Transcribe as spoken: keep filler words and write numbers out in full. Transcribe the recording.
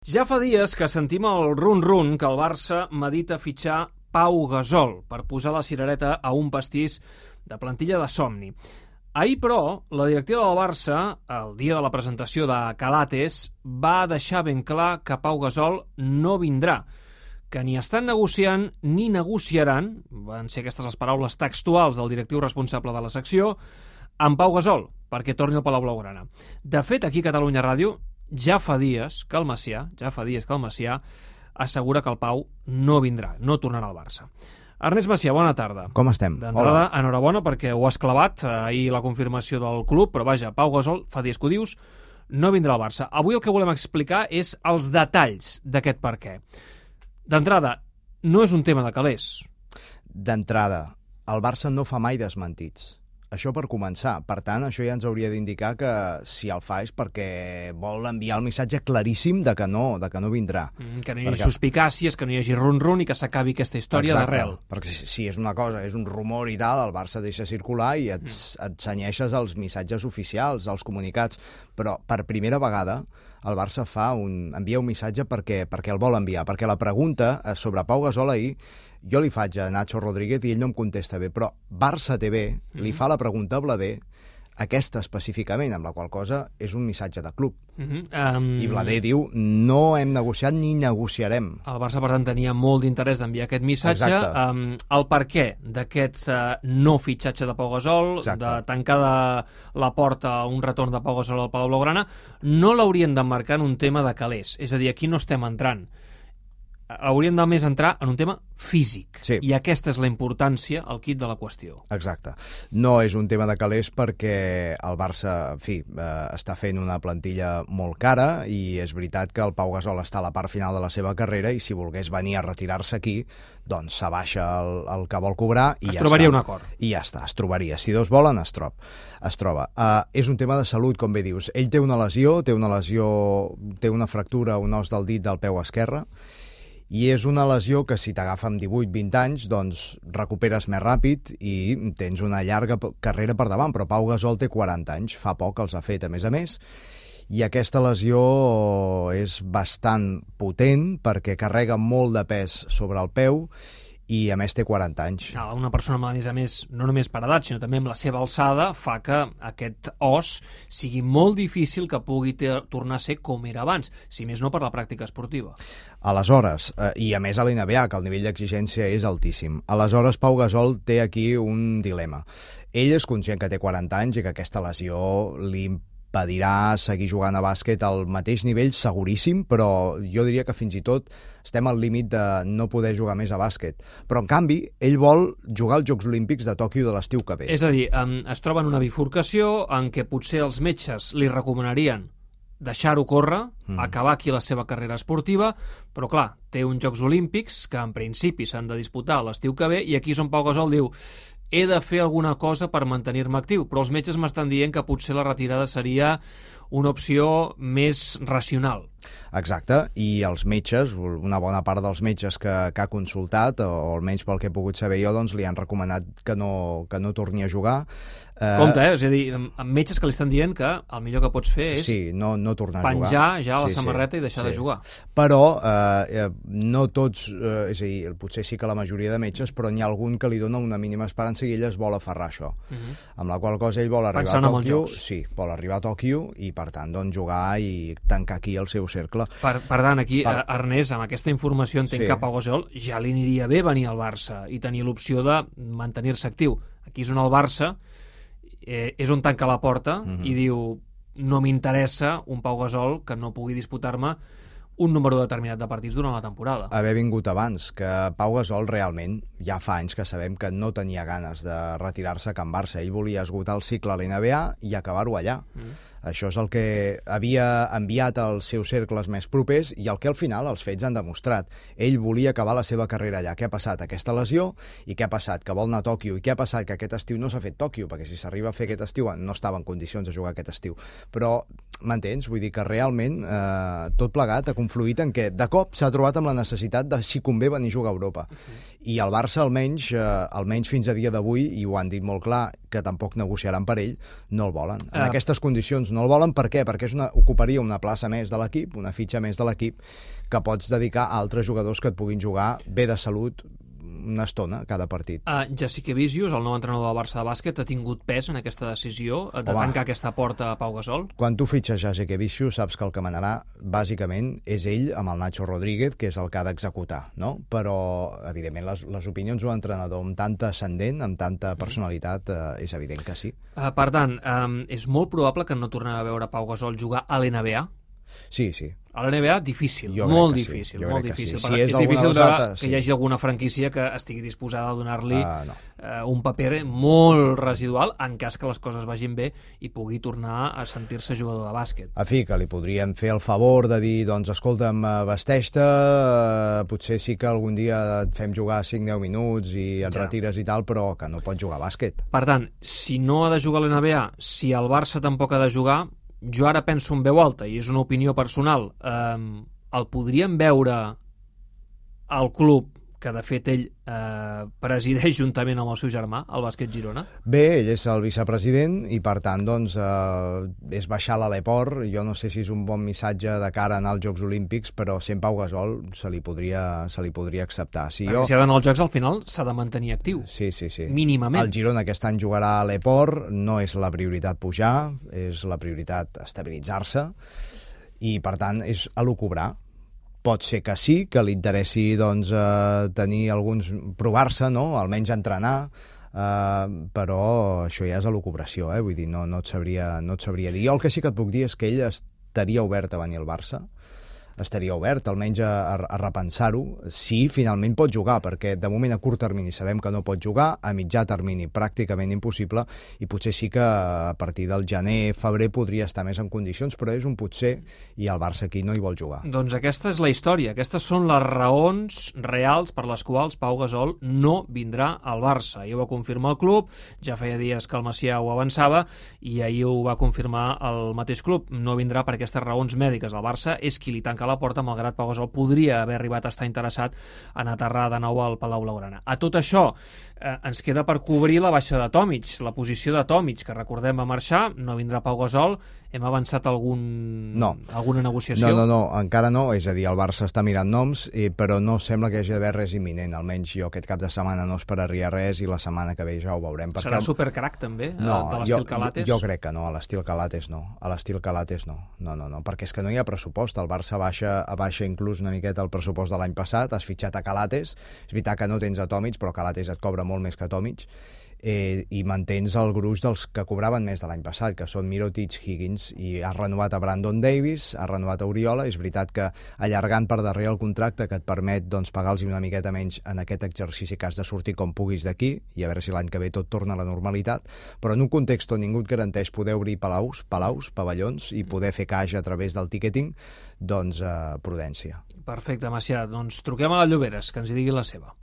Ja fa dies que sentim el run-run que el Barça medita fitxar Pau Gasol per posar la cirereta a un pastís de plantilla de somni. Ahir, però, la directiva del Barça, el dia de la presentació de Calates, va deixar ben clar que Pau Gasol no vindrà, que ni estan negociant ni negociaran, van ser aquestes les paraules textuals del directiu responsable de la secció, amb Pau Gasol, perquè torni al Palau Blaugrana. De fet, aquí a Catalunya Ràdio ja fa dies que el Macià, ja fa dies que el Macià assegura que el Pau no vindrà, no tornarà al Barça. Ernest Macià, bona tarda. Com estem? D'entrada, enhorabona perquè ho has clavat, ahir la confirmació del club, però vaja, Pau Gasol, fa dies que ho dius, no vindrà al Barça. Avui el que volem explicar és els detalls d'aquest per què. D'entrada, no és un tema de calés. D'entrada, el Barça no fa mai desmentits. Això per començar. Per tant, això ja ens hauria d'indicar que si el fa és perquè vol enviar el missatge claríssim de que no, de que no vindrà. Mm, que no hi hagi perquè... suspicàcies, que no hi hagi run-run i que s'acabi aquesta història d'arrel. Perquè si, si és una cosa, és un rumor i tal, el Barça deixa circular i et, mm. et cenyeixes als missatges oficials, als comunicats. Però per primera vegada el Barça fa un, envia un missatge perquè, perquè el vol enviar. Perquè la pregunta sobre Pau Gasol ahir jo li faig a Nacho Rodríguez i ell no em contesta bé, però Barça T V mm-hmm. li fa la pregunta a Blader, aquesta específicament, amb la qual cosa és un missatge de club. Mm-hmm. um... I Blader diu, no hem negociat ni negociarem. El Barça, per tant, tenia molt d'interès d'enviar aquest missatge. Um, el per què d'aquest uh, no fitxatge de Pau Gasol, Exacte. de tancar de la porta a un retorn de Pau Gasol al Palau Blaugrana, no l'haurien d'emmarcar en un tema de calés. És a dir, aquí no estem entrant. Hauríem de més entrar en un tema físic. Sí. I aquesta és la importància, el quid de la qüestió. Exacte. No és un tema de calés perquè el Barça, en fi, eh, està fent una plantilla molt cara i és veritat que el Pau Gasol està a la part final de la seva carrera i si volgués venir a retirar-se aquí, doncs s'abaixa el, el que vol cobrar i es ja trobaria està. un acord. I ja està, es trobaria. Si dos volen, es, trob, es troba. Uh, és un tema de salut, com bé dius. Ell té una lesió, té una lesió, té una fractura, un os del dit del peu esquerre, i és una lesió que si t'agafa amb divuit vint anys doncs recuperes més ràpid i tens una llarga carrera per davant, però Pau Gasol té quaranta anys, fa poc els ha fet a més a més, i aquesta lesió és bastant potent perquè carrega molt de pes sobre el peu i a més té quaranta anys. Una persona, a més a més, no només per edat, sinó també amb la seva alçada, fa que aquest os sigui molt difícil que pugui tornar a ser com era abans, si més no per la pràctica esportiva. Aleshores, eh, i a més a l'N B A, que el nivell d'exigència és altíssim, aleshores Pau Gasol té aquí un dilema. Ell és conscient que té quaranta anys i que aquesta lesió li impedirà seguir jugant a bàsquet al mateix nivell seguríssim, però jo diria que fins i tot estem al límit de no poder jugar més a bàsquet. Però, en canvi, ell vol jugar als Jocs Olímpics de Tòquio de l'estiu que ve. És a dir, es troba en una bifurcació en què potser els metges li recomanarien deixar-ho córrer, mm. acabar aquí la seva carrera esportiva, però clar, té uns Jocs Olímpics que en principi s'han de disputar l'estiu que ve i aquí és on Pau Gasol diu he de fer alguna cosa per mantenir-me actiu, però els metges m'estan dient que potser la retirada seria una opció més racional. Exacte, i els metges, una bona part dels metges que, que ha consultat, o almenys pel que he pogut saber jo, doncs li han recomanat que no, que no torni a jugar. Compte, eh? És a dir, amb metges que li estan dient que el millor que pots fer és sí, no, no tornar a penjar jugar. ja la sí, samarreta sí, i deixar sí. de jugar. Però eh, no tots, eh, és a dir, potser sí que la majoria de metges, però n'hi ha algun que li dona una mínima esperança i ell es vol aferrar a això. Uh -huh. Amb la qual cosa ell vol arribar Pensant a Tòquio, sí, vol arribar a Tòquio i per tant doncs, jugar i tancar aquí el seu cercle. Per, per tant, aquí, per... Ernest, amb aquesta informació entenc sí. que a Pau Gasol ja li aniria bé venir al Barça i tenir l'opció de mantenir-se actiu. Aquí és on el Barça eh, és on tanca la porta uh-huh. i diu no m'interessa un Pau Gasol que no pugui disputar-me un número determinat de partits durant la temporada. Haver vingut abans, que Pau Gasol realment ja fa anys que sabem que no tenia ganes de retirar-se a Can Barça. Ell volia esgotar el cicle a l'N B A i acabar-ho allà. Mm. Això és el que havia enviat als seus cercles més propers i el que al final els fets han demostrat. Ell volia acabar la seva carrera allà. Què ha passat? Aquesta lesió i què ha passat? Que vol anar a Tòquio. I què ha passat? Que aquest estiu no s'ha fet Tòquio, perquè si s'arriba a fer aquest estiu no estava en condicions de jugar aquest estiu. Però, m'entens? Vull dir que realment eh, tot plegat ha confluït en què de cop s'ha trobat amb la necessitat de si convé venir a jugar a Europa. Uh-huh. I el Barça almenys, eh, almenys fins a dia d'avui, i ho han dit molt clar, que tampoc negociaran per ell, no el volen. En Ah. aquestes condicions no el volen, per què? Perquè és una, ocuparia una plaça més de l'equip, una fitxa més de l'equip, que pots dedicar a altres jugadors que et puguin jugar bé de salut una estona cada partit. Uh, Jasikevičius, el nou entrenador del Barça de bàsquet, ha tingut pes en aquesta decisió de Home. tancar aquesta porta a Pau Gasol? Quan tu fitxes Jasikevičius, saps que el que manarà, bàsicament, és ell amb el Nacho Rodríguez, que és el que ha d'executar, no? Però, evidentment, les, les opinions d'un entrenador amb tanta ascendent, amb tanta personalitat, eh, és evident que sí. Uh, per tant, um, és molt probable que no tornem a veure Pau Gasol jugar a l'N B A? Sí, sí. A l'N B A, difícil, Jo crec molt que sí, difícil, jo molt crec que difícil. sí. Per- Si és és alguna difícil dels de, altres, que sí. hi hagi alguna franquícia que estigui disposada a donar-li Uh, no. uh, un paper molt residual en cas que les coses vagin bé i pugui tornar a sentir-se jugador de bàsquet. A fi, que li podrien fer el favor de dir, doncs, escolta'm, eh, vesteix-te, eh, potser sí que algun dia et fem jugar cinc deu minuts i et Ja. retires i tal, però que no pots jugar a bàsquet. Per tant, si no ha de jugar a l'N B A, si el Barça tampoc ha de jugar, jo ara penso en veu alta, i és una opinió personal, eh, el podríem veure al club, que de fet ell eh, presideix juntament amb el seu germà, el Bàsquet Girona? Bé, ell és el vicepresident i, per tant, doncs, eh, és baixar l'aleport. Jo no sé si és un bon missatge de cara a anar als Jocs Olímpics, però sent Pau Gasol se li podria, se li podria acceptar. Si Perquè jo... si ha d'anar als Jocs, al final s'ha de mantenir actiu. Sí, sí, sí. Mínimament. El Girona aquest any jugarà a l'Eport, no és la prioritat pujar, és la prioritat estabilitzar-se i, per tant, és elucubrar. Pot ser que sí, que li interessi doncs, eh, tenir alguns... provar-se, no? Almenys entrenar, eh, però això ja és elucubració, eh? Vull dir, no, no, et sabria, no et sabria dir. Jo el que sí que et puc dir és que ell estaria obert a venir al Barça, estaria obert almenys a, a, a repensar-ho, si finalment pot jugar, perquè de moment a curt termini sabem que no pot jugar, a mitjà termini pràcticament impossible, i potser sí que a partir del gener, febrer podria estar més en condicions, però és un potser, i el Barça aquí no hi vol jugar. Doncs aquesta és la història, aquestes són les raons reals per les quals Pau Gasol no vindrà al Barça. I ho va confirmar el club, ja feia dies que el Macià ho avançava, i ahir ho va confirmar el mateix club. No vindrà per aquestes raons mèdiques. El Barça és qui li tanca la porta, malgrat Pau Gasol podria haver arribat a estar interessat en aterrar de nou al Palau Blaugrana. A tot això, eh, ens queda per cobrir la baixa de Tomic, la posició de Tomic, que recordem va marxar, no vindrà Pau Gasol. Hem avançat algun, no. alguna negociació? No, no, no, encara no, és a dir, el Barça està mirant noms, eh, però no sembla que hi hagi d'haver res imminent, almenys jo aquest cap de setmana no esperaria res i la setmana que ve ja ho veurem. Perquè Serà el... supercrac també, no, de l'estil jo, Calates? Jo, jo crec que no, a l'estil Calates no, a l'estil Calates no, no, no, no, perquè és que no hi ha pressupost, el Barça baixa, baixa inclús una miqueta el pressupost de l'any passat, has fitxat a Calates, és veritat que no tens a Tomic, però Calates et cobra molt més que Tomic, eh, i mantens el gruix dels que cobraven més de l'any passat, que són Mirotic, Higgins, i has renovat a Brandon Davis, has renovat a Oriola. És veritat que allargant per darrere el contracte que et permet doncs, pagar-los una miqueta menys en aquest exercici que has de sortir com puguis d'aquí, i a veure si l'any que ve tot torna a la normalitat, però en un context on ningú et garanteix poder obrir palaus, palaus, pavellons, i poder fer caixa a través del ticketing, doncs eh, prudència. Perfecte, Macià. Doncs truquem a la Lloberes, que ens hi digui la seva.